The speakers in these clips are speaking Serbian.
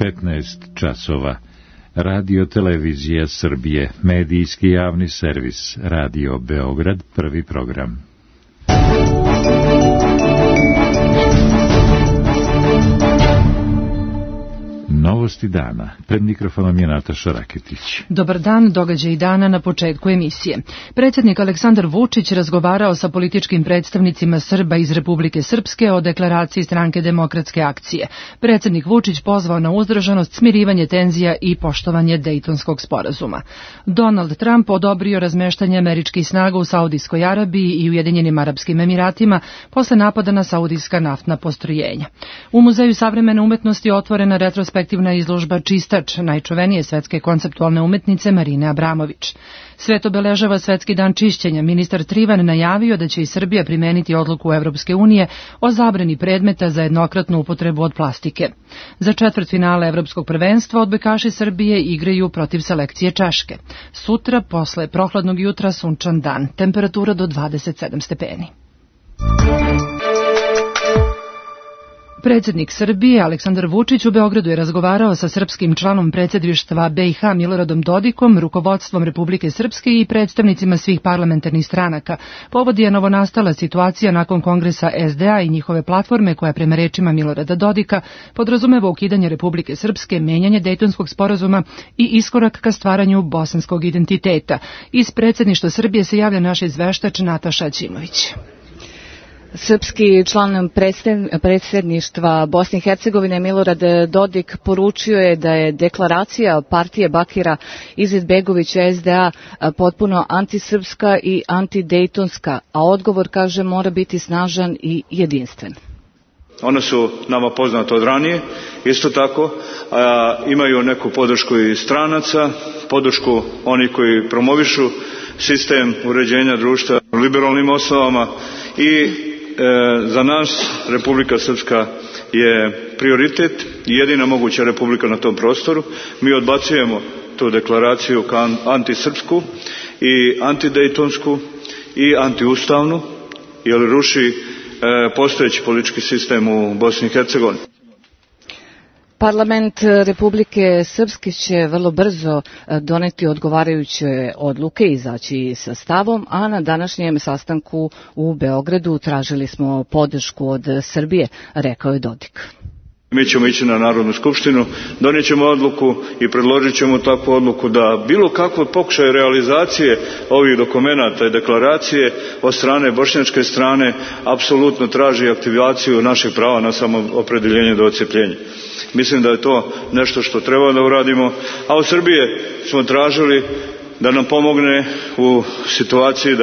15 časova. Radio Televizija Srbije, medijski javni servis, Radio Beograd, prvi program. Novosti dana. Pred mikrofonom je Nataša Raketić. Dobar dan, događaj dana na početku emisije. Predsjednik Aleksandar Vučić razgovarao sa političkim predstavnicima Srba iz Republike Srpske o deklaraciji Stranke demokratske akcije. Predsjednik Vučić pozvao na uzdržanost, smirivanje tenzija i poštovanje Dejtonskog sporazuma. Donald Trump odobrio razmeštanje američkih snaga u Saudijskoj Arabiji i Ujedinjenim Arapskim Emiratima posle napada na saudijska naftna postrojenja. U Muzeju savremene umetnosti otvorena retrospektivna izložba Čistač, najčuvenije svetske konceptualne umetnice Marine Abramović. Svet obeležava Svetski dan čišćenja. Ministar Trivan najavio da će i Srbija primeniti odluku Evropske unije o zabrani predmeta za jednokratnu upotrebu od plastike. Za četvrtfinale Evropskog prvenstva odbojkaši Srbije igraju protiv selekcije Češke. Sutra, posle prohladnog jutra, sunčan dan. Temperatura do 27 stepeni. Predsjednik Srbije Aleksandar Vučić u Beogradu je razgovarao sa srpskim članom predsjedništva BiH Miloradom Dodikom, rukovodstvom Republike Srpske i predstavnicima svih parlamentarnih stranaka. Povod je novonastala situacija nakon kongresa SDA i njihove platforme koja prema rečima Milorada Dodika podrazumeva ukidanje Republike Srpske, menjanje Dejtonskog sporazuma i iskorak ka stvaranju bosanskog identiteta. Iz predsjedništva Srbije se javlja naš izveštač Nataša Ćimović. Srpski član predsjedništva Bosne i Hercegovine Milorad Dodik poručio je da je deklaracija partije Bakira Izetbegovića SDA potpuno antisrpska i antidejtonska, a odgovor, kaže, mora biti snažan i jedinstven. One su nama poznate od ranije, isto tako imaju neku podršku i stranaca, podršku onih koji promovišu sistem uređenja društva liberalnim osnovama i za nas Republika Srpska je prioritet i jedina moguća republika na tom prostoru. Mi odbacujemo tu deklaraciju kao antisrpsku i antidejtonsku i antiustavnu, jer ruši postojeći politički sistem u Bosni i Hercegovini. Parlament Republike Srpske će vrlo brzo doneti odgovarajuće odluke i izaći sa stavom, a na današnjem sastanku u Beogradu tražili smo podršku od Srbije, rekao je Dodik. Mi ćemo ići na Narodnu skupštinu, donijet ćemo odluku i predložit ćemo takvu odluku da bilo kakvo pokušaj realizacije ovih dokumenata i deklaracije od strane bošnjačke strane apsolutno traži aktivaciju naših prava na samoopredjeljenje do odcjepljenja. Mislim da je to nešto što treba da uradimo, a od Srbije smo tražili da nam pomogne u situaciji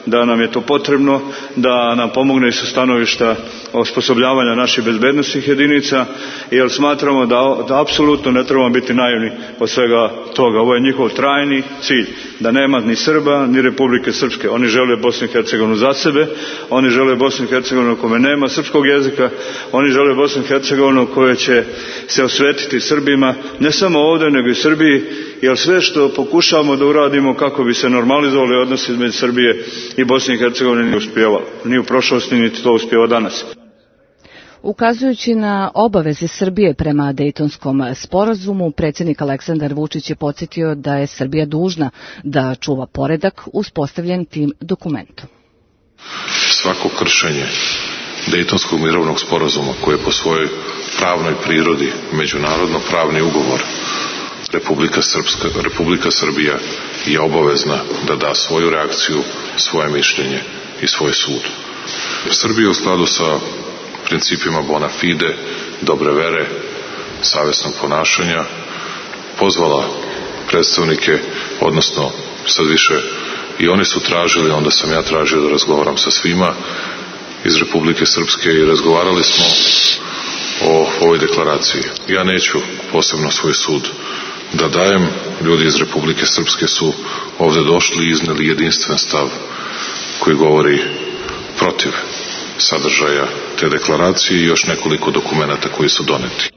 da nam je to potrebno, da nam pomogne i sa stanovišta osposobljavanja naših bezbednosnih jedinica, jer smatramo da apsolutno ne trebamo biti naivni od svega toga. Ovo je njihov trajni cilj, da nema ni Srba ni Republike Srpske. Oni žele Bosnu i Hercegovinu za sebe, oni žele Bosnu i Hercegovinu kome nema srpskog jezika, oni žele Bosnu i Hercegovinu koje će se osvetiti Srbima, ne samo ovdje nego i Srbiji, jer sve što pokušavamo da uradimo kako bi se normalizovali odnosi između Srbije i Bosne i Hercegovine nije uspijevalo. Ni u prošlosti, niti to uspijeva danas. Ukazujući na obaveze Srbije prema Dejtonskom sporazumu, predsjednik Aleksandar Vučić je podsjetio da je Srbija dužna da čuva poredak uspostavljen tim dokumentom. Svako kršenje Dejtonskog mirovnog sporazuma, koje je po svojoj pravnoj prirodi međunarodno pravni ugovor, Republika Srbija je obavezna da da svoju reakciju, svoje mišljenje i svoj sud. Srbija u skladu sa principima bona fide, dobre vere, savjesnog ponašanja, pozvala predstavnike, odnosno sad više i oni su tražili, onda sam ja tražio da razgovaram sa svima iz Republike Srpske i razgovarali smo o ovoj deklaraciji. Ja neću posebno svoj sud da dajem. Ljudi iz Republike Srpske su ovdje došli i izneli jedinstven stav koji govori protiv sadržaja te deklaracije i još nekoliko dokumenata koji su doneti.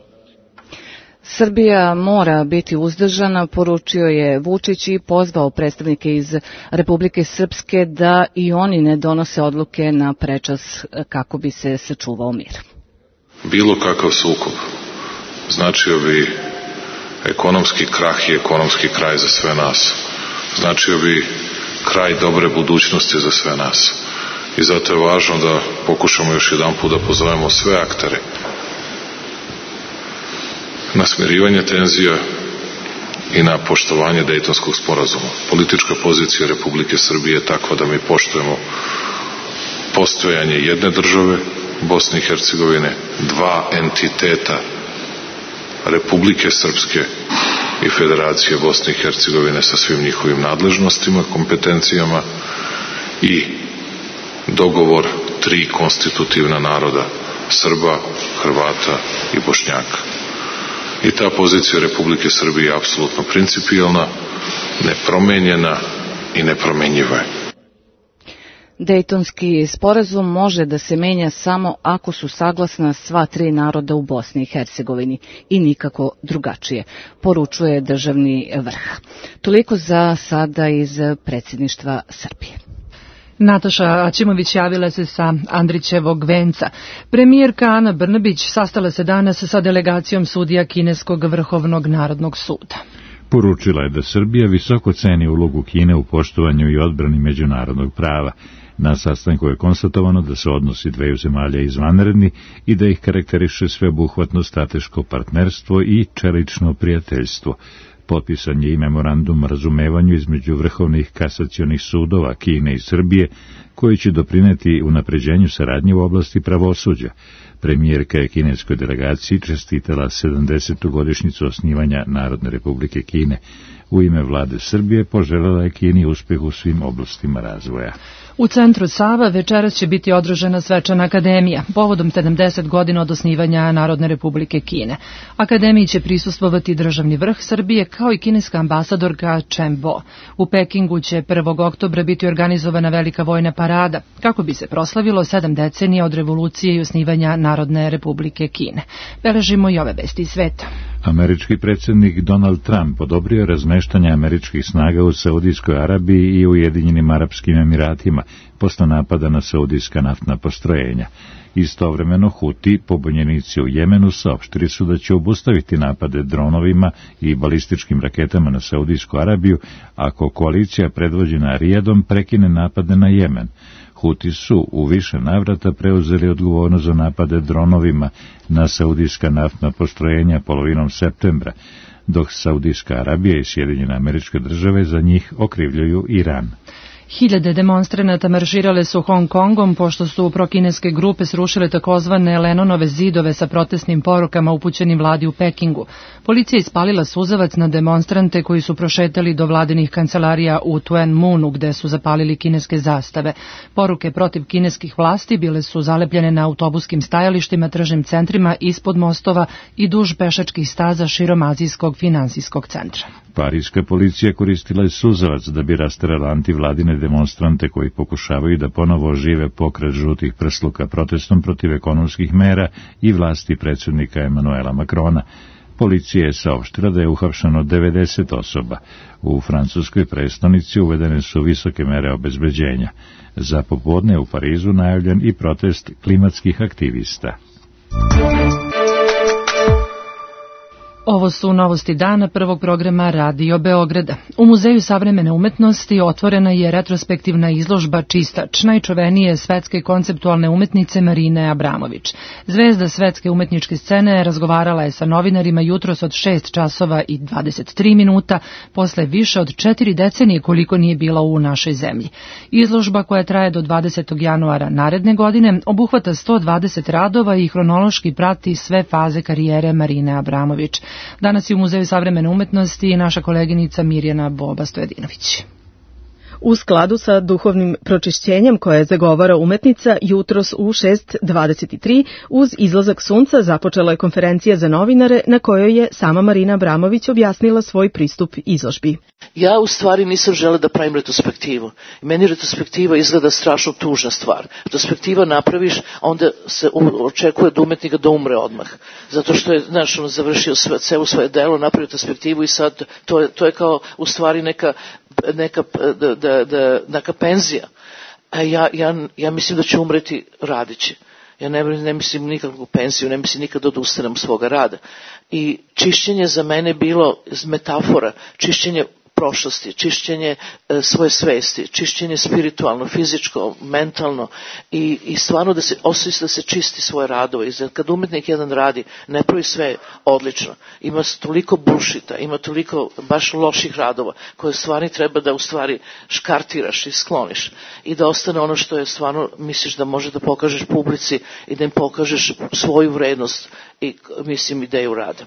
Srbija mora biti uzdržana, poručio je Vučić i pozvao predstavnike iz Republike Srpske da i oni ne donose odluke na prečas kako bi se sačuvao mir. Bilo kakav sukob značio bi ekonomski krah i ekonomski kraj za sve nas. Značio bi kraj dobre budućnosti za sve nas. I zato je važno da pokušamo još jedanput da pozovemo sve aktere na smirivanje tenzija i na poštovanje Dejtonskog sporazuma. Politička pozicija Republike Srbije je takva da mi poštujemo postojanje jedne države, Bosne i Hercegovine, dva entiteta, Republike Srpske i Federacije Bosne i Hercegovine sa svim njihovim nadležnostima, kompetencijama i dogovor tri konstitutivna naroda, Srba, Hrvata i Bošnjaka. I ta pozicija Republike Srbije je apsolutno principijelna, nepromenjena i nepromenjiva je. Dejtonski sporazum može da se menja samo ako su saglasna sva tri naroda u Bosni i Hercegovini i nikako drugačije, poručuje državni vrh. Toliko za sada iz predsjedništva Srbije. Nataša Aćimović javila se sa Andrićevog venca. Premijerka Ana Brnabić sastala se danas sa delegacijom sudija Kineskog vrhovnog narodnog suda. Poručila je da Srbija visoko ceni ulogu Kine u poštovanju i odbrani međunarodnog prava. Na sastanku je konstatovano da su odnosi dveju zemalja izvanredni i da ih karakteriše sveobuhvatno strateško partnerstvo i čelično prijateljstvo. Potpisan je i memorandum o razumevanju između vrhovnih kasacionih sudova Kine i Srbije, koji će doprineti unapređenju saradnje u oblasti pravosuđa. Premijerka je kineskoj delegaciji čestitala 70. godišnjicu osnivanja Narodne republike Kine. U ime vlade Srbije poželjela je Kini uspeh u svim oblastima razvoja. U centru Sava večeras će biti održana svečana akademija, povodom 70 godina od osnivanja Narodne republike Kine. Akademiji će prisustvovati državni vrh Srbije kao i kineska ambasadorka Chen Bo. U Pekingu će 1. oktobra biti organizovana velika vojna parada, kako bi se proslavilo 7 decenija od revolucije i osnivanja Narodne republike Kine. Beležimo i ove vesti iz sveta. Američki predsjednik Donald Trump odobrio je razmeštanje američkih snaga u Saudijskoj Arabiji i Ujedinjenim Arapskim Emiratima posle napada na saudijska naftna postrojenja. Istovremeno Huti, pobunjenici u Jemenu, saopštili su da će obustaviti napade dronovima i balističkim raketama na Saudijsku Arabiju ako koalicija predvođena Rijadom prekine napade na Jemen. Huti su u više navrata preuzeli odgovornost za napade dronovima na saudijska naftna postrojenja polovinom septembra, dok Saudijska Arabija i Sjedinjene Američke Države za njih okrivljuju Iran. Hiljade demonstranata marširale su Hong Kongom pošto su prokineske grupe srušile takozvane Lenonove zidove sa protestnim porukama upućenim vladi u Pekingu. Policija ispalila suzavac na demonstrante koji su prošetali do vladinih kancelarija u Tuen Munu gde su zapalili kineske zastave. Poruke protiv kineskih vlasti bile su zalepljene na autobuskim stajalištima, tržnim centrima, ispod mostova i duž pešačkih staza širom azijskog finansijskog centra. Parijska policija koristila je suzavac da bi rasterala antivladine demonstrante koji pokušavaju da ponovo ožive pokret žutih prsluka protestom protiv ekonomskih mera i vlasti predsjednika Emanuela Macrona. Policija je saopštila da je uhapšeno 90 osoba. U francuskoj prestonici uvedene su visoke mere obezbeđenja. Za popodne u Parizu najavljen i protest klimatskih aktivista. Ovo su novosti dana prvog programa Radio Beograda. U Muzeju savremene umetnosti otvorena je retrospektivna izložba Čistač, najčuvenije svetske konceptualne umetnice Marine Abramović. Zvezda svetske umetničke scene razgovarala je sa novinarima jutros od 6 časova i 23 minuta, posle više od 4 decenije koliko nije bila u našoj zemlji. Izložba koja traje do 20. januara naredne godine obuhvata 120 radova i hronološki prati sve faze karijere Marine Abramović. Danas je u Muzeju savremene umetnosti naša koleginica Mirjana Boba Stojedinović. U skladu sa duhovnim pročišćenjem koje zagovara umetnica, jutros u 6:23 uz izlazak sunca započela je konferencija za novinare na kojoj je sama Marina Abramović objasnila svoj pristup izložbi. Ja u stvari nisam žela da pravim retrospektivu. Meni retrospektiva izgleda strašno tužna stvar. Retrospektiva napraviš, a onda se očekuje od umetnika da umre odmah. Zato što je, znaš, on završio celo svoje delo, napravio retrospektivu i sad to je kao u stvari neka penzija. A ja mislim da će umreti radići. Ja ne mislim nikakvu penziju, ne mislim nikad odustanem svoga rada. I čišćenje za mene bilo metafora, čišćenje prošlosti, čišćenje svoje svesti, čišćenje spiritualno, fizičko, mentalno i stvarno da se osjeća da se čisti svoje radove. I kad umetnik jedan radi, ne pravi sve odlično. Ima toliko bullshita, ima toliko baš loših radova koje stvari treba da u stvari škartiraš i skloniš i da ostane ono što je stvarno misliš da može da pokažeš publici i da im pokažeš svoju vrednost i mislim ideju rada.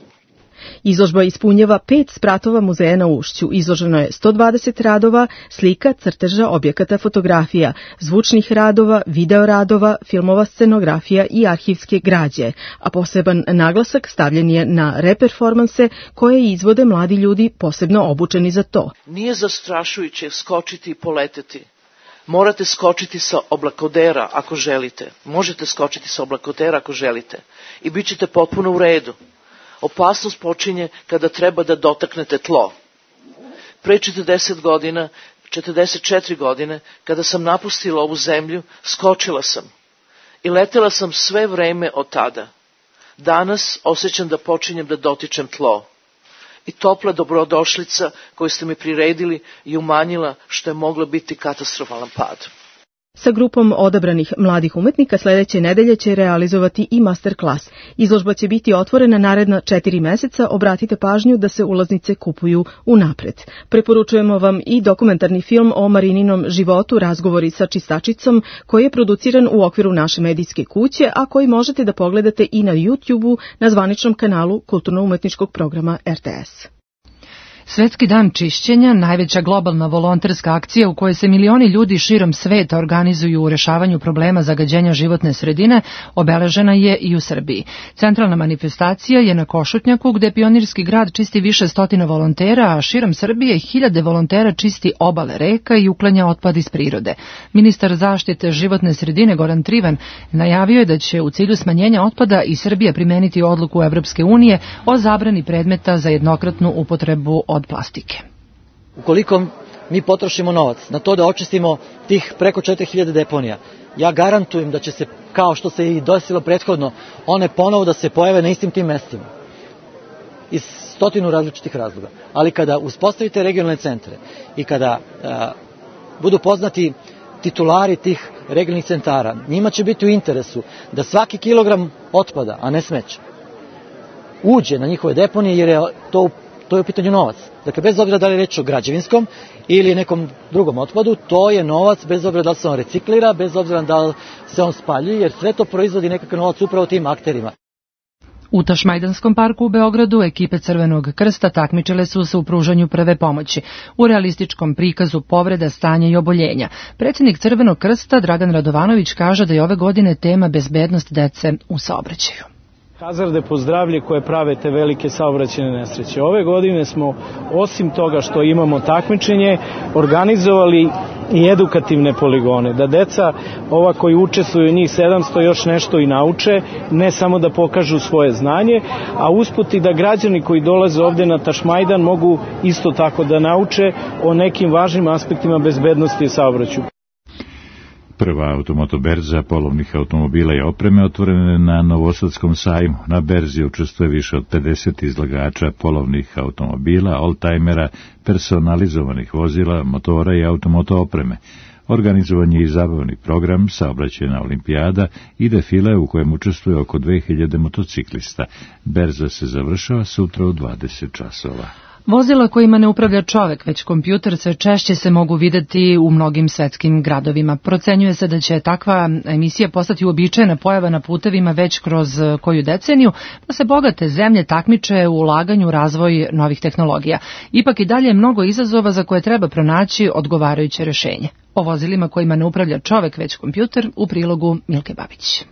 Izložba ispunjava 5 spratova muzeja na Ušću. Izloženo je 120 radova, slika, crteža, objekata, fotografija, zvučnih radova, video radova, filmova, scenografija i arhivske građe, a poseban naglasak stavljen je na reperformanse koje izvode mladi ljudi posebno obučeni za to. Nije zastrašujuće skočiti i poleteti. Morate skočiti sa oblakodera ako želite. Možete skočiti sa oblakodera ako želite. I bit ćete potpuno u redu. Opasnost počinje kada treba da dotaknete tlo. Pre 40 godina, 44 godine, kada sam napustila ovu zemlju, skočila sam. I letela sam sve vreme od tada. Danas osjećam da počinjem da dotičem tlo. I topla dobrodošlica koju ste mi priredili je umanjila što je moglo biti katastrofalan pad. Sa grupom odabranih mladih umetnika sledeće nedelje će realizovati i masterclass. Izložba će biti otvorena naredna 4 meseca, obratite pažnju da se ulaznice kupuju unapred. Preporučujemo vam i dokumentarni film o Marininom životu, razgovori sa čistačicom, koji je produciran u okviru naše medijske kuće, a koji možete da pogledate i na YouTube-u na zvaničnom kanalu kulturno-umetničkog programa RTS. Svetski dan čišćenja, najveća globalna volonterska akcija u kojoj se milioni ljudi širom sveta organizuju u rešavanju problema zagađenja životne sredine, obeležena je i u Srbiji. Centralna manifestacija je na Košutnjaku, gde pionirski grad čisti više stotina volontera, a širom Srbije hiljade volontera čisti obale reka i uklanja otpad iz prirode. Ministar zaštite životne sredine Goran Trivan najavio je da će u cilju smanjenja otpada i Srbija primeniti odluku Evropske unije o zabrani predmeta za jednokratnu upotrebu od plastike. Ukoliko mi potrošimo novac na to da očistimo tih preko 4000 deponija, ja garantujem da će se, kao što se i desilo prethodno, one ponovo da se pojave na istim tim mestima. Iz stotinu različitih razloga. Ali kada uspostavite regionalne centre i kada budu poznati titulari tih regionalnih centara, njima će biti u interesu da svaki kilogram otpada, a ne smeća, uđe na njihove deponije, jer je to je u pitanju novac. Dakle, bez obzira da li je reč o građevinskom ili nekom drugom otpadu, to je novac bez obzira da li se on reciklira, bez obzira da li se on spaljuje, jer sve to proizvodi nekakav novac upravo tim akterima. U Tašmajdanskom parku u Beogradu ekipe Crvenog krsta takmičile su se u pružanju prve pomoći, u realističkom prikazu povreda, stanja i oboljenja. Predsjednik Crvenog krsta Dragan Radovanović kaže da je ove godine tema bezbednost dece u saobraćaju. Hazarde po zdravlje koje prave te velike saobraćajne nesreće. Ove godine smo, osim toga što imamo takmičenje, organizovali i edukativne poligone, da deca, ova koji učestvuju njih 700, još nešto i nauče, ne samo da pokažu svoje znanje, a usput i da građani koji dolaze ovde na Tašmajdan mogu isto tako da nauče o nekim važnim aspektima bezbednosti i saobraćaju. Prva automotoberza polovnih automobila i opreme otvorena na Novosadskom sajmu. Na berzi učestvuje više od 50 izlagača polovnih automobila, oldtimera, personalizovanih vozila, motora i automoto opreme. Organizovan je i zabavni program, saobraćajna olimpijada i defile u kojem učestvuje oko 2000 motociklista. Berza se završava sutra u 20 časova. Vozila kojima ne upravlja čovek, već kompjuter, sve češće se mogu videti u mnogim svetskim gradovima. Procenjuje se da će takva emisija postati uobičajena pojava na putevima već kroz koju deceniju, pa se bogate zemlje takmiče u ulaganju u razvoj novih tehnologija. Ipak i dalje je mnogo izazova za koje treba pronaći odgovarajuće rešenje. O vozilima kojima ne upravlja čovek, već kompjuter, u prilogu Milke Babić.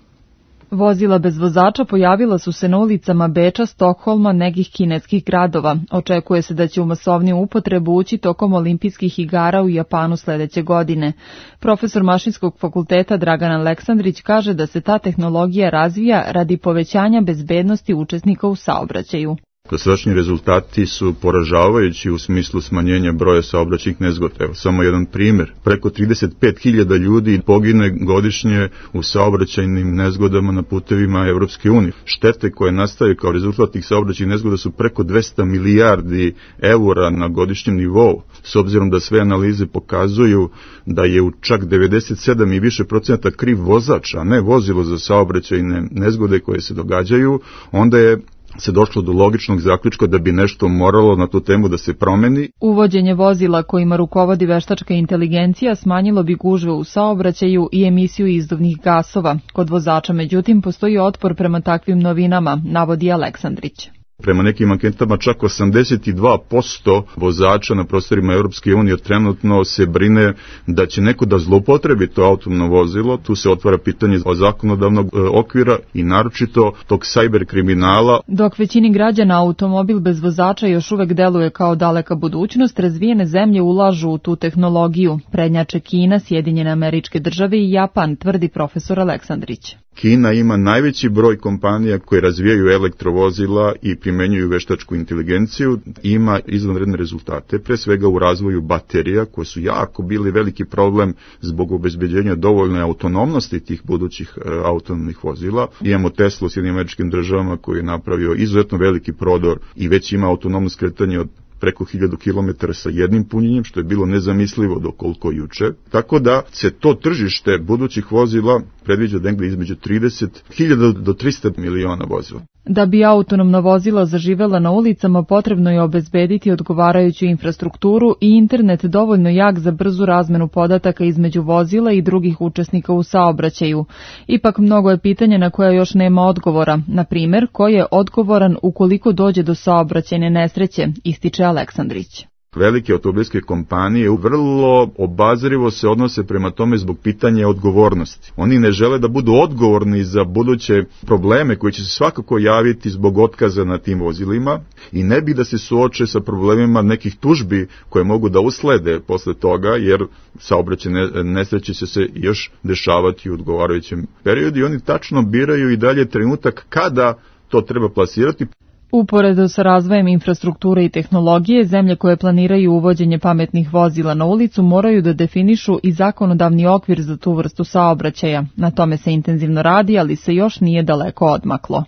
Vozila bez vozača pojavila su se na ulicama Beča, Stokholma, nekih kineskih gradova. Očekuje se da će u masovniju upotrebu ući tokom olimpijskih igara u Japanu sledeće godine. Profesor Mašinskog fakulteta Dragan Aleksandrić kaže da se ta tehnologija razvija radi povećanja bezbednosti učesnika u saobraćaju. Dosadašnji rezultati su poražavajući u smislu smanjenja broja saobraćajnih nezgoda. Evo samo jedan primjer. Preko 35.000 ljudi pogine godišnje u saobraćajnim nezgodama na putevima Evropske unije. Štete koje nastaju kao rezultat tih saobraćajnih nezgoda su preko 200 milijardi eura na godišnjem nivou. S obzirom da sve analize pokazuju da je u čak 97 i više procenata kriv vozač, a ne vozilo za saobraćajne nezgode koje se događaju, onda je se došlo do logičnog zaključka da bi nešto moralo na tu temu da se promeni. Uvođenje vozila kojima rukovodi veštačka inteligencija smanjilo bi gužve u saobraćaju i emisiju izduvnih gasova. Kod vozača, međutim, postoji otpor prema takvim novinama, navodi Aleksandrić. Prema nekim anketama čak 82% vozača na prostorima Europske unije trenutno se brine da će neko da zloupotrebi to autonomno vozilo. Tu se otvara pitanje o zakonodavnog okvira i naročito tog cyber kriminala. Dok većini građana automobil bez vozača još uvek deluje kao daleka budućnost, razvijene zemlje ulažu u tu tehnologiju. Prednjače Kina, Sjedinjene Američke Države i Japan, tvrdi profesor Aleksandrić. Kina ima najveći broj kompanija koje razvijaju elektrovozila i primenjuju veštačku inteligenciju, ima izvanredne rezultate, pre svega u razvoju baterija, koje su jako bili veliki problem zbog obezbeđenja dovoljne autonomnosti tih budućih autonomnih vozila. Imamo Tesla u Sjedinjenim Američkim Državama koji je napravio izuzetno veliki prodor i već ima autonomno skretanje od preko 1000 km sa jednim punjenjem, što je bilo nezamislivo do koliko juče. Tako da se to tržište budućih vozila predviđa negde između 30.000 do 300 miliona vozila. Da bi autonomna vozila zaživela na ulicama, potrebno je obezbediti odgovarajuću infrastrukturu i internet dovoljno jak za brzu razmenu podataka između vozila i drugih učesnika u saobraćaju. Ipak mnogo je pitanja na koja još nema odgovora. Na primjer, ko je odgovoran ukoliko dođe do saobraćajne nesreće, ističe Aleksandrić. Velike automobilske kompanije vrlo obazrivo se odnose prema tome zbog pitanja odgovornosti. Oni ne žele da budu odgovorni za buduće probleme koji će se svakako javiti zbog otkaza na tim vozilima i ne bi da se suoče sa problemima nekih tužbi koje mogu da uslede posle toga, jer saobraćajne nesreće će se još dešavati u odgovarajućem periodu i oni tačno biraju i dalje trenutak kada to treba plasirati. Uporedo sa razvojem infrastrukture i tehnologije, zemlje koje planiraju uvođenje pametnih vozila na ulicu moraju da definišu i zakonodavni okvir za tu vrstu saobraćaja. Na tome se intenzivno radi, ali se još nije daleko odmaklo.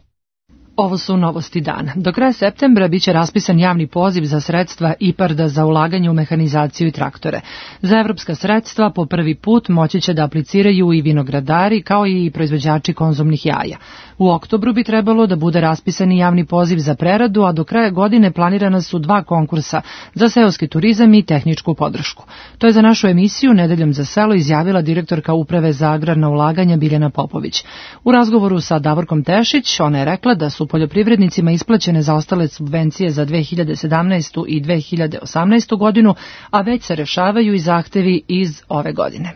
Ovo su novosti dana. Do kraja septembra biće raspisan javni poziv za sredstva IPARD-a za ulaganje u mehanizaciju i traktore. Za evropska sredstva po prvi put moći će da apliciraju i vinogradari kao i proizvođači konzumnih jaja. U oktobru bi trebalo da bude raspisan i javni poziv za preradu, a do kraja godine planirana su 2 konkursa za seoski turizam i tehničku podršku. To je za našu emisiju Nedeljom za selo izjavila direktorka Uprave za agrarna ulaganja Biljana Popović. U razgovoru sa Davorkom Tešić ona je rekla da su poljoprivrednicima isplaćene zaostale subvencije za 2017. i 2018. godinu, a već se rešavaju i zahtevi iz ove godine.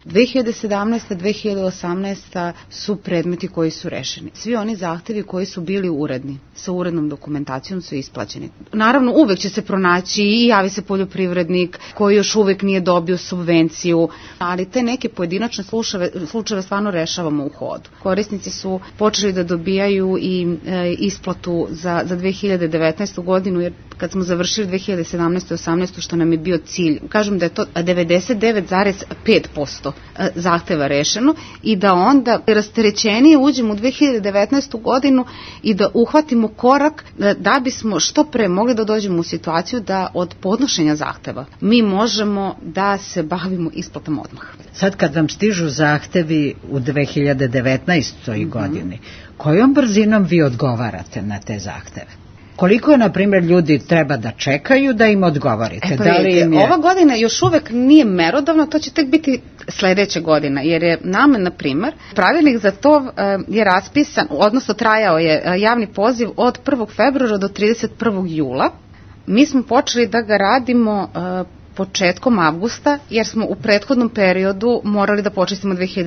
2017. 2018. su predmeti koji su rešeni. Svi oni zahtevi koji su bili uredni, sa urednom dokumentacijom su isplaćeni. Naravno, uvek će se pronaći i javi se poljoprivrednik koji još uvek nije dobio subvenciju, ali te neke pojedinačne slučajeve stvarno rešavamo u hodu. Korisnici su počeli da dobijaju i isplatu za 2019. godinu, jer kad smo završili 2017. i 2018. što nam je bio cilj, kažem da je to 99,5% zahteva rešeno i da onda rasterećenije uđemo u 2019. godinu i da uhvatimo korak da bismo što pre mogli da dođemo u situaciju da od podnošenja zahteva mi možemo da se bavimo isplatama odmah. Sad kad vam stižu zahtevi u 2019. godini, kojom brzinom vi odgovarate na te zahteve? Koliko je, na primjer, ljudi treba da čekaju da im odgovorite? Ova godina još uvek nije merodavna, to će tek biti sledeća godina, jer je nama, na primjer, pravilnik za to je raspisan, odnosno trajao je javni poziv od 1. februara do 31. jula. Mi smo počeli da ga radimo početkom avgusta, jer smo u prethodnom periodu morali da počistimo 2017. i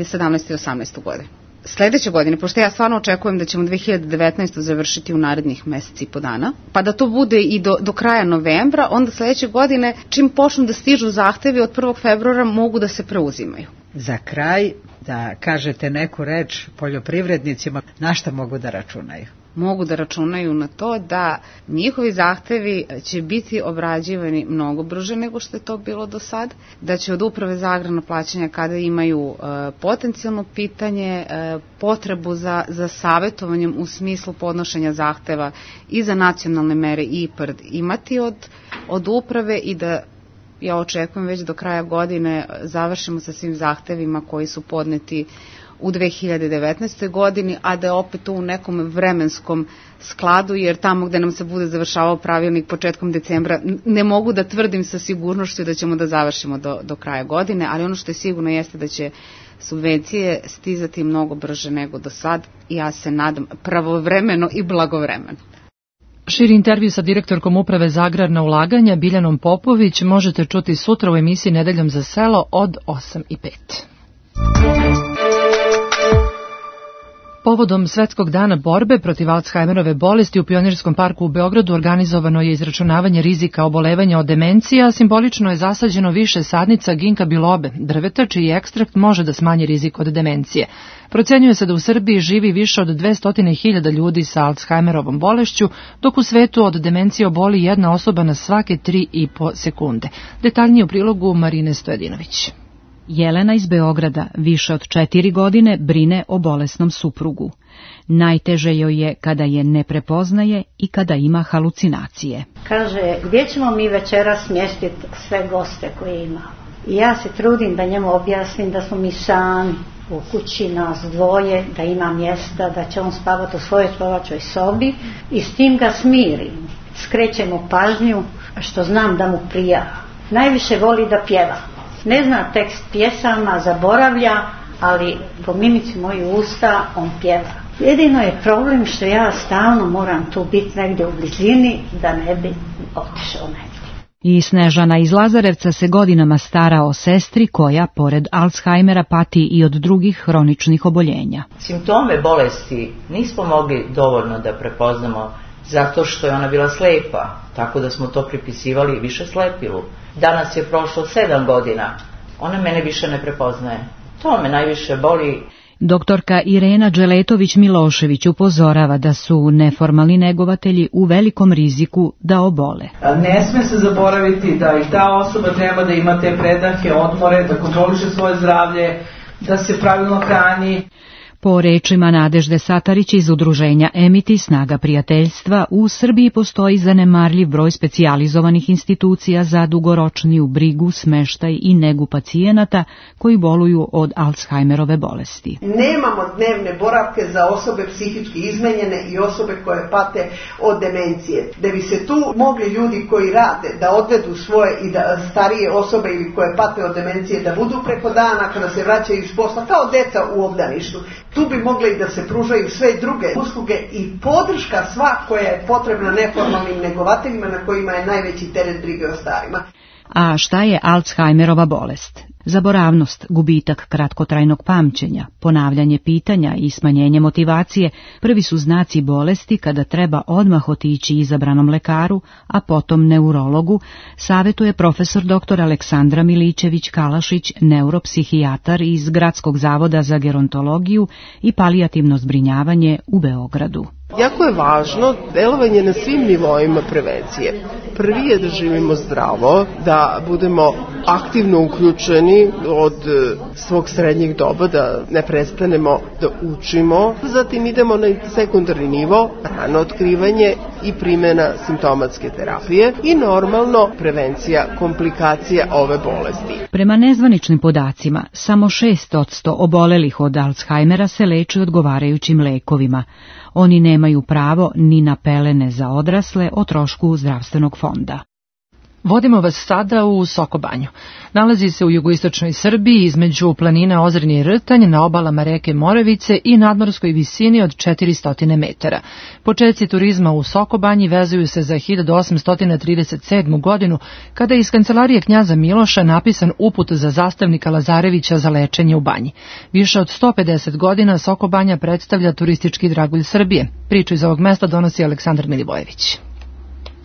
2018. godinu. Sledeće godine, pošto ja stvarno očekujem da ćemo 2019. završiti u narednih meseci i po dana, pa da to bude i do kraja novembra, onda sledeće godine, čim počnu da stižu zahtevi od 1. februara, mogu da se preuzimaju. Za kraj, da kažete neku reč poljoprivrednicima, na šta mogu da računaju? Mogu da računaju na to da njihovi zahtevi će biti obrađivani mnogo brže nego što je to bilo do sad, da će od Uprave za agrarna plaćanja kada imaju potencijalno pitanje, potrebu za savjetovanjem u smislu podnošenja zahteva i za nacionalne mere IPARD imati od uprave i da ja očekujem već do kraja godine završimo sa svim zahtevima koji su podneti u 2019. godini, a da je opet to u nekom vremenskom skladu, jer tamo gde nam se bude završavao pravilnik početkom decembra, ne mogu da tvrdim sa sigurnošću da ćemo da završimo do kraja godine, ali ono što je sigurno jeste da će subvencije stizati mnogo brže nego do sad i ja se nadam pravovremeno i blagovremeno. Širi intervju sa direktorkom Uprave za agrarna ulaganja Biljanom Popović možete čuti sutra u emisiji Nedeljom za selo od 8:05. Povodom Svetskog dana borbe protiv Alzheimerove bolesti u Pionirskom parku u Beogradu organizovano je izračunavanje rizika obolevanja od demencija, a simbolično je zasađeno više sadnica ginka bilobe, drveta čiji ekstrakt može da smanji rizik od demencije. Procenjuje se da u Srbiji živi više od 200.000 ljudi sa Alzheimerovom bolešću, dok u svetu od demencije oboli jedna osoba na svake 3,5 sekunde. Detaljnije u prilogu Marine Stojadinović. Jelena iz Beograda više od 4 godine brine o bolesnom suprugu. Najteže joj je kada je ne prepoznaje i kada ima halucinacije. Kaže, gdje ćemo mi večeras smjestiti sve goste koje imamo? I ja se trudim da njemu objasnim da smo mi sami u kući, nas dvoje, da ima mjesta, da će on spavati u svojoj spavačoj sobi i s tim ga smirim. Skrećem mu pažnju što znam da mu prija. Najviše voli da pjeva. Ne zna tekst pjesama, zaboravlja, ali po mimici mojih usta on pjeva. Jedino je problem što ja stalno moram tu biti negdje u blizini da ne bi otišao negdje. I Snežana iz Lazarevca se godinama stara o sestri koja, pored Alzheimera, pati i od drugih hroničnih oboljenja. Simptome bolesti nismo mogli dovoljno da prepoznamo zato što je ona bila slepa, tako da smo to pripisivali više slepilu. Danas je prošlo 7 godina, ona mene više ne prepoznaje. To me najviše boli. Doktorka Irena Đeletović-Milošević upozorava da su neformalni negovatelji u velikom riziku da obole. Ne sme se zaboraviti da i ta osoba treba da ima te predahe, odmore, da kontroliše svoje zdravlje, da se pravilno hrani. Po rečima Nadežde Satarić iz udruženja Emiti Snaga prijateljstva, u Srbiji postoji zanemarljiv broj specijalizovanih institucija za dugoročniju brigu, smeštaj i negu pacijenata koji boluju od Alzheimerove bolesti. Nemamo dnevne boravke za osobe psihički izmenjene i osobe koje pate od demencije. Da bi se tu mogli ljudi koji rade da odvedu svoje i da starije osobe ili koje pate od demencije da budu preko dana kada se vraćaju iz posla kao deca u obdaništu. Tu bi mogle i da se pružaju sve druge usluge i podrška sva koja je potrebna neformalnim negovateljima na kojima je najveći teret brige o starima. A šta je Alzheimerova bolest? Zaboravnost, gubitak kratkotrajnog pamćenja, ponavljanje pitanja i smanjenje motivacije prvi su znaci bolesti kada treba odmah otići izabranom lekaru, a potom neurologu, savjetuje profesor dr. Aleksandra Milićević-Kalašić, neuropsihijatar iz Gradskog zavoda za gerontologiju i palijativno zbrinjavanje u Beogradu. Jako je važno delovanje na svim nivoima prevencije. Prvi je da živimo zdravo, da budemo aktivno uključeni od svog srednjeg doba, da ne prestanemo da učimo. Zatim idemo na sekundarni nivo, rano otkrivanje i primjena simptomatske terapije i normalno prevencija komplikacija ove bolesti. Prema nezvaničnim podacima, samo 6% obolelih od Alzheimera se leči odgovarajućim lekovima. Oni nemaju pravo ni na pelene za odrasle o trošku zdravstvenog fonda. Vodimo vas sada u Sokobanju. Nalazi se u jugoistočnoj Srbiji između planina Ozrenje i Rtanj na obalama reke Moravice i nadmorskoj visini od 400 metara. Početci turizma u Sokobanji vezuju se za 1837. godinu, kada je iz kancelarije knjaza Miloša napisan uput za zastavnika Lazarevića za lečenje u banji. Više od 150 godina Sokobanja predstavlja turistički dragulj Srbije. Priču iz ovog mesta donosi Aleksandar Milivojević.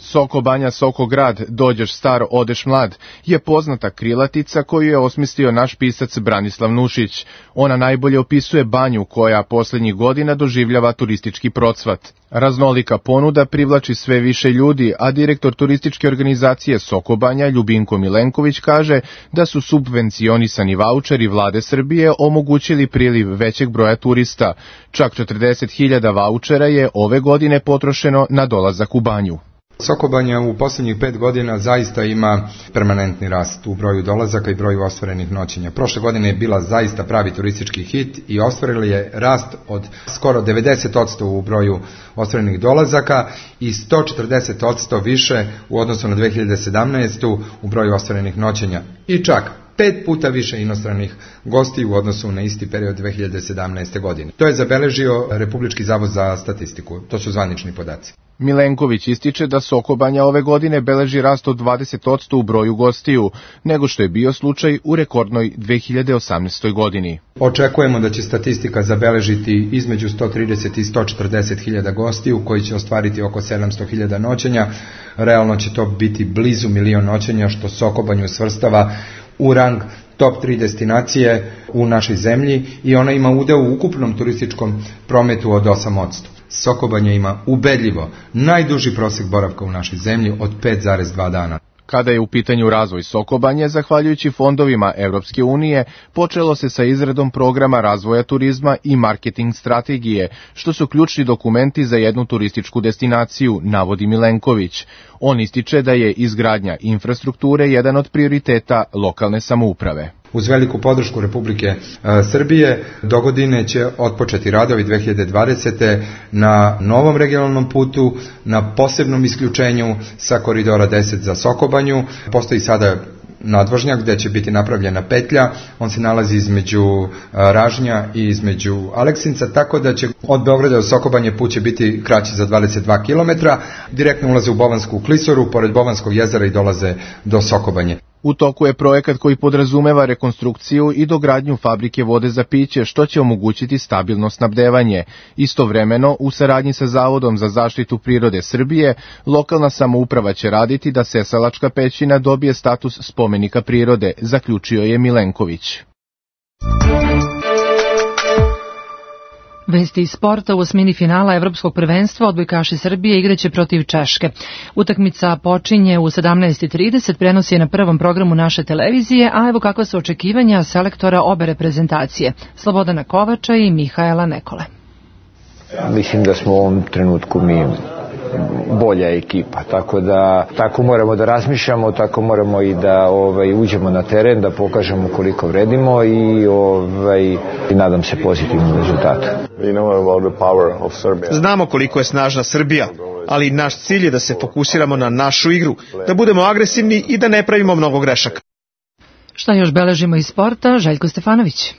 Soko Banja, Soko grad, dođeš star, odeš mlad, je poznata krilatica koju je osmislio naš pisac Branislav Nušić. Ona najbolje opisuje Banju koja poslednjih godina doživljava turistički procvat. Raznolika ponuda privlači sve više ljudi, a direktor turističke organizacije Soko Banja, Ljubinko Milenković, kaže da su subvencionisani vaučeri vlade Srbije omogućili priliv većeg broja turista. Čak 40.000 vaučera je ove godine potrošeno na dolazak u Banju. Soko Banja u posljednjih 5 godina zaista ima permanentni rast u broju dolazaka i broju ostvarenih noćenja. Prošle godine je bila zaista pravi turistički hit i ostvarili je rast od skoro 90% u broju ostvarenih dolazaka i 140% više u odnosu na 2017. u broju ostvarenih noćenja. I čak 5 puta više inostranih gosti u odnosu na isti period 2017. godine. To je zabeležio Republički zavod za statistiku. To su zvanični podaci. Milenković ističe da Soko Banja ove godine beleži rast od 20% u broju gostiju, nego što je bio slučaj u rekordnoj 2018. godini. Očekujemo da će statistika zabeležiti između 130 i 140 hiljada gostiju koji će ostvariti oko 700 hiljada noćenja. Realno će to biti blizu 1 milion noćenja, što Soko Banju svrstava u rang top 3 destinacije u našoj zemlji i ona ima udeo u ukupnom turističkom prometu od 8%. Soko Banja ima ubedljivo najduži prosek boravka u našoj zemlji od 5,2 dana. Kada je u pitanju razvoj Soko Banje, zahvaljujući fondovima Evropske unije, počelo se sa izradom programa razvoja turizma i marketing strategije, što su ključni dokumenti za jednu turističku destinaciju, navodi Milenković. On ističe da je izgradnja infrastrukture jedan od prioriteta lokalne samouprave. Uz veliku podršku Republike Srbije, dogodine će otpočeti radovi 2020. na novom regionalnom putu, na posebnom isključenju sa koridora 10 za Soko Banju. Postoji sada nadvožnjak gde će biti napravljena petlja, on se nalazi između Ražnja i između Aleksinca, tako da će od Beograda do Soko Banje put će biti kraći za 22 km, direktno ulaze u Bovansku klisoru, pored Bovanskog jezera i dolaze do Soko Banje. U toku je projekat koji podrazumeva rekonstrukciju i dogradnju fabrike vode za piće, što će omogućiti stabilno snabdevanje. Istovremeno, u saradnji sa Zavodom za zaštitu prirode Srbije, lokalna samouprava će raditi da Sesalačka pećina dobije status spomenika prirode, zaključio je Milenković. Vesti iz sporta. U osmini finala Evropskog prvenstva odbojkaši Srbije igraće protiv Češke. Utakmica počinje u 17:30, prenosi je na prvom programu naše televizije, a evo kakva su očekivanja selektora obe reprezentacije, Slobodana Kovača i Mihaela Nekole. Mislim da smo u ovom trenutku mi bolja ekipa, tako da tako moramo da razmišljamo, tako moramo i da uđemo na teren, da pokažemo koliko vredimo i nadam se pozitivnom rezultatu. Znamo koliko je snažna Srbija, ali naš cilj je da se fokusiramo na našu igru, da budemo agresivni i da ne pravimo mnogo grešaka. Šta još beležimo iz sporta? Željko Stefanović.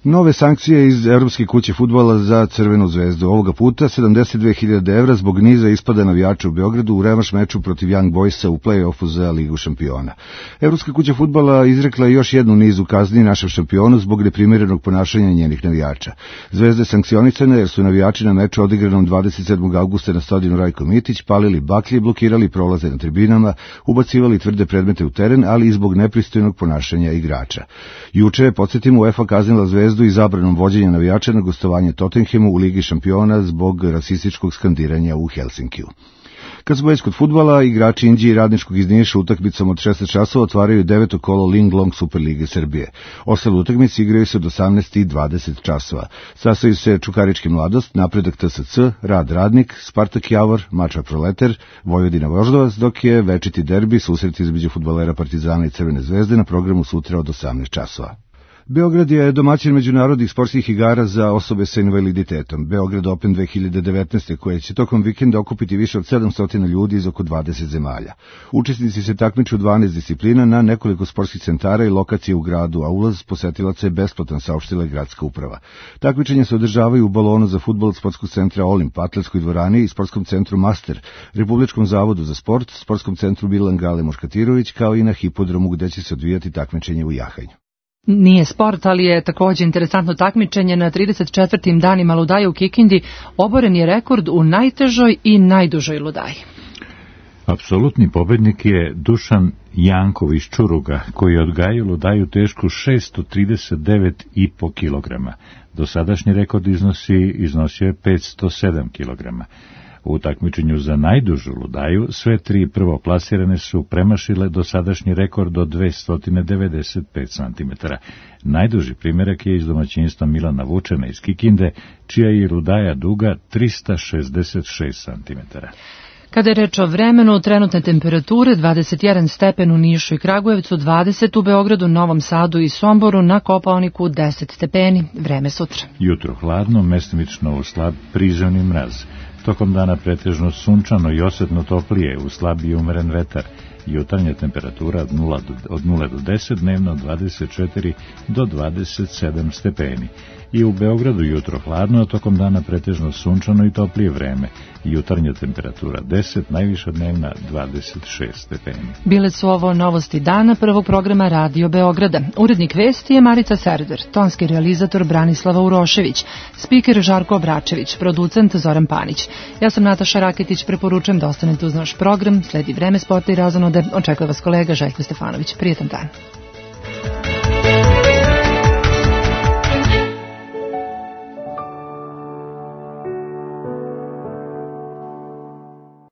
Nove sankcije iz Evropske kuće fudbala za Crvenu zvezdu. Ovoga puta 72.000 evra zbog niza ispada navijača u Beogradu u revanš meču protiv Young Boysa u play-offu za Ligu šampiona. Evropska kuća fudbala izrekla još jednu nizu kazni našem šampionu zbog neprimjerenog ponašanja njenih navijača. Zvezda je sankcionisana jer su navijači na meču odigranom 27. augusta na stadionu Rajko Mitić palili baklje, blokirali prolaze na tribinama, ubacivali tvrde predmete u teren, ali i zbog nepristojnog ponašanja igrača. Juče, podsjetimo, UEFA kaznila Zvezdu i zabranom vođenja navijača na gostovanje Tottenhamu u Ligi šampiona zbog rasističkog skandiranja u Helsinkiju. Kad smo već kod fudbala, igrači Inđije i Radničkog iz Niša utakmicom od 16 časova otvaraju 9. kolo Ling Long Super Lige Srbije. Ostale utakmice igraju se od 18 i 20 časova. Sastaju se Čukarički Mladost, Napredak TSC, Rad Radnik, Spartak Javor, Mačva Proleter, Vojvodina Voždovac, dok je večiti derbi, susret između fudbalera Partizana i Crvene zvezde na programu sutra od 18 časova. Beograd je domaćin međunarodnih sportskih igara za osobe sa invaliditetom. Beograd Open 2019. koje će tokom vikenda okupiti više od 700 ljudi iz oko 20 zemalja. Učesnici se takmiču u 12 disciplina na nekoliko sportskih centara i lokacije u gradu, a ulaz posetilaca je besplatan, saopštila je gradska uprava. Takmičenja se održavaju u balonu za fudbal od sportskog centra Olimp, atletskoj dvorani i sportskom centru Master, Republičkom zavodu za sport, sportskom centru Milan Gale Moškatirović, kao i na hipodromu gde će se odvijati takmičenje u jahanju. Nije sport, ali je također interesantno takmičenje na 34. danima ludaje u Kikindi. Oboren je rekord u najtežoj i najdužoj ludaji. Apsolutni pobednik je Dušan Jankov iz Čuruga, koji je odgajio ludaju tešku 639,5 kg. Dosadašnji rekord iznosio je 507 kg. U takmičenju za najdužu ludaju sve tri prvoplasirane su premašile dosadašnji rekord od 295 cm. Najduži primjerak je iz domaćinstva Milana Vučena iz Kikinde, čija je ludaja duga 366 cm. Kada je reč o vremenu, trenutne temperature 21 stepen u Nišu i Kragujevcu, 20 u Beogradu, Novom Sadu i Somboru, na Kopaoniku 10 stepeni. Vreme sutra. Jutro hladno, mestimično u slab prizemni mraz. Tokom dana pretežno sunčano i osetno toplije, u slab i umeren vetar. Jutarnja temperatura od 0 do 10, dnevno od 24 do 27 stepeni. I u Beogradu jutro hladno, a tokom dana pretežno sunčano i toplije vreme. Jutarnja temperatura 10, najviša dnevna 26 stepeni. Bile su ovo novosti dana prvog programa Radio Beograda. Urednik vesti je Marica Serder, tonski realizator Branislava Urošević, spiker Žarko Obračević, producent Zoran Panić. Ja sam Nataša Raketić, preporučujem da ostanete uz naš program. Sledi vreme sporta i razonode. Očekuje vas kolega Željko Stefanović. Prijetan dan.